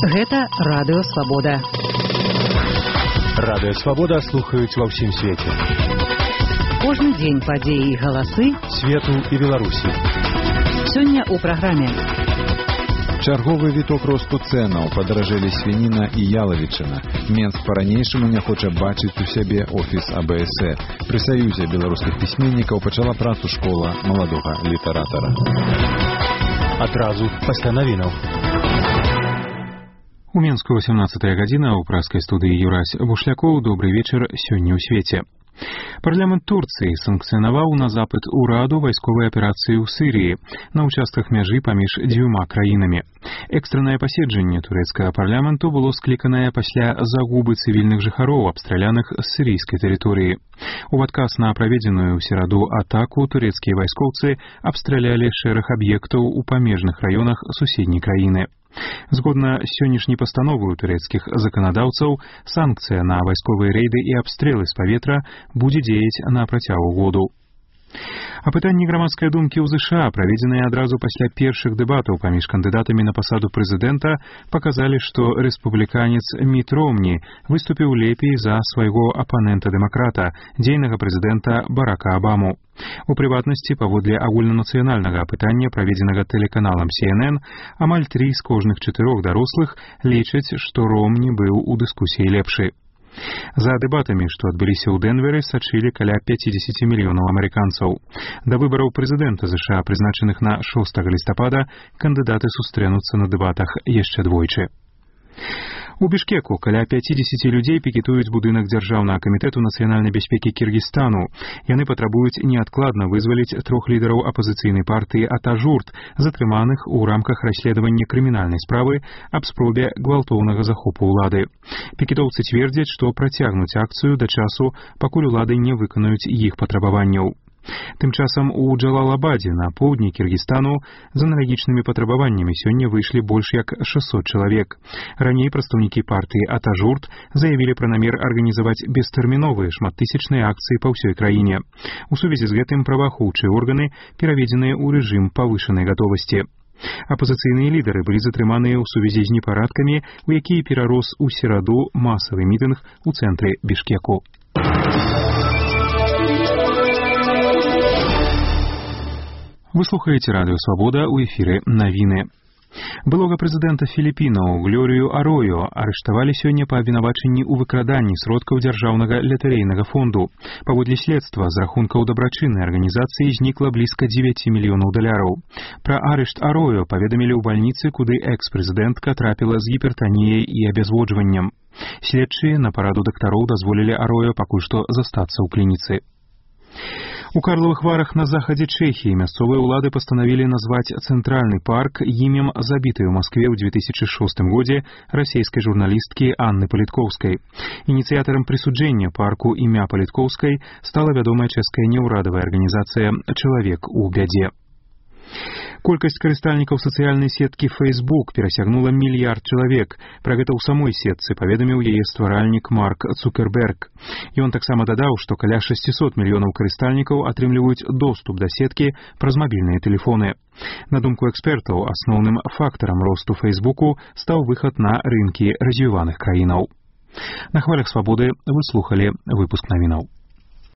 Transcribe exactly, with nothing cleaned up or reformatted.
Гэта Радыё Свабода. Радыё Свабода слухаюць ва ўсім свеце. Кожны дзень падзеі і галасы свету і Беларусі. Сёння ў праграме. Чарговы віток росту цэнаў, падаражэлі свініна і ялавічына. Менск па-ранейшаму не хоча бачыць у сябе офіс А Б С Э. Пры саюзе беларускіх пісьменнікаў пачала працу школа маладога літаратара. Адразу пасля навінаў. У Менску восемнадцатая гадзіна, у праскай студыі Юрась Бушлякоў. Добрый вечар сёння ў свеце. Парламент Турцыі санкцыянаваў на запыт ураду вайсковай аперацыі ў Сырыі на ўчастках мяжы паміж дзвюма краінамі. Экстраннае паседжанне турэцкага парламенту было скліканае пасля загубы цывільных жыхароў, абстраляных з сірыйскай тэрыторыі. У адказ на праведзеную ў сераду атаку турэцкія вайскоўцы абстралялі шэраг аб'ектаў у памежных раёнах суседняй краіны. Згодна з сённяшняй пастановай турэцкіх заканадаўцаў, санкцыя на вайсковыя рэйды і абстрэлы з паветра будзе дзеяць на працягу году. Апытанні грамадскай думкі ў ЗША, праведзеныя адразу пасля першых дэбатаў паміж кандыдатамі на пасаду прэзідэнта, паказалі, што рэспубліканец Міт Ромні выступіў лепей за свайго апанента-дэмакрата, дзейнага прэзідэнта Барака Абаму. У прыватнасці, паводле агульнанацыянальнага апытання, праведзенага тэлеканалам Си Эн Эн, амаль тры з кожных чатырох дарослых лічаць, што Ромні быў у дыскусіі лепшы. За дэбатамі, што адбыліся ў Дэнверы, сачылі каля пяцьдзесят мільёнаў амерыканцаў. Да выбараў прэзідэнта ЗША, прызначаных на шостага лістапада, кандыдаты сустрэнуцца на дэбатах яшчэ двойчы. У Бішкеку каля пяцьдзесят людзей пікетуюць будынак дзяржаўнага камітэту нацыянальнай бяспекі Кіргізстану. Яны патрабуюць неадкладна вызваліць трох лідараў апазіцыйнай партыі Атажурт, затрыманых у рамках расследавання крымінальнай справы аб спробе гвалтоўнага захопу ўлады. Пікетоўцы цвердзяць, што працягнуць акцыю да часу, пакуль улады не выканаюць іх патрабаванняў. Тым часам у Джалалабадзе на поўдні Кіргізстану з аналагічнымі патрабаваннямі сёння выйшлі больш як шэсцьсот чалавек. Раней прадстаўнікі партыі Атажурт заявілі пра намер арганізаваць бестэрміновыя шматтысячныя акцыі па ўсёй краіне. У сувязі з гэтым праваахоўчыя органы пераведзеныя ў рэжым павышанай гатовасці. Апазіцыйныя лідары былі затрыманыя ў сувязі з непарадкамі, у якія перарос у сераду масавы мітынг у цэнтры Бішкеку. Вы слухаеце Радыё Свабода, у эфіры навіны. Былога прэзідэнта Філіпінаў Глорію Аройо арыштавалі сёння па абвінавачанні ў выкраданні сродкаў дзяржаўнага латарэйнага фонду. Паводле следства, з рахункаў дабрачыннай арганізацыі знікла блізка дзевяць мільёнаў даляраў. Пра арышт Аройо паведамілі ў бальніцы, куды экс-прэзідэнтка трапіла з гіпертаніяй і абязводжваннем. Следчыя на параду дактароў дазволілі Аройо пакуль што застацца ў клініцы. У Карловых Варах на захадзе Чэхіі мясцовыя ўлады пастанавілі назваць цэнтральны парк імем забітай у Маскве ў две тысячы шостым годзе расейскай журналісткі Анны Паліткоўскай. Ініцыятарам прысуджэння парку імя Паліткоўскай стала вядомая чэшская неўрадавая арганізацыя «Чалавек у бядзе». Колькасць карыстальнікаў сацыяльнай сеткі Facebook перасягнула мільярд чалавек. Пра гэта ў самой сетцы паведаміў яе стваральнік Марк Цукерберг. Ён таксама дадаў, што каля шэсцьсот мільёнаў карыстальнікаў атрымліваюць доступ да сеткі праз мабільныя тэлефоны. На думку экспертаў, асноўным фактарам росту Фейсбуку стаў выхад на рынкі развіваных краінаў. На хвалях свабоды вы слухалі выпуск навінаў.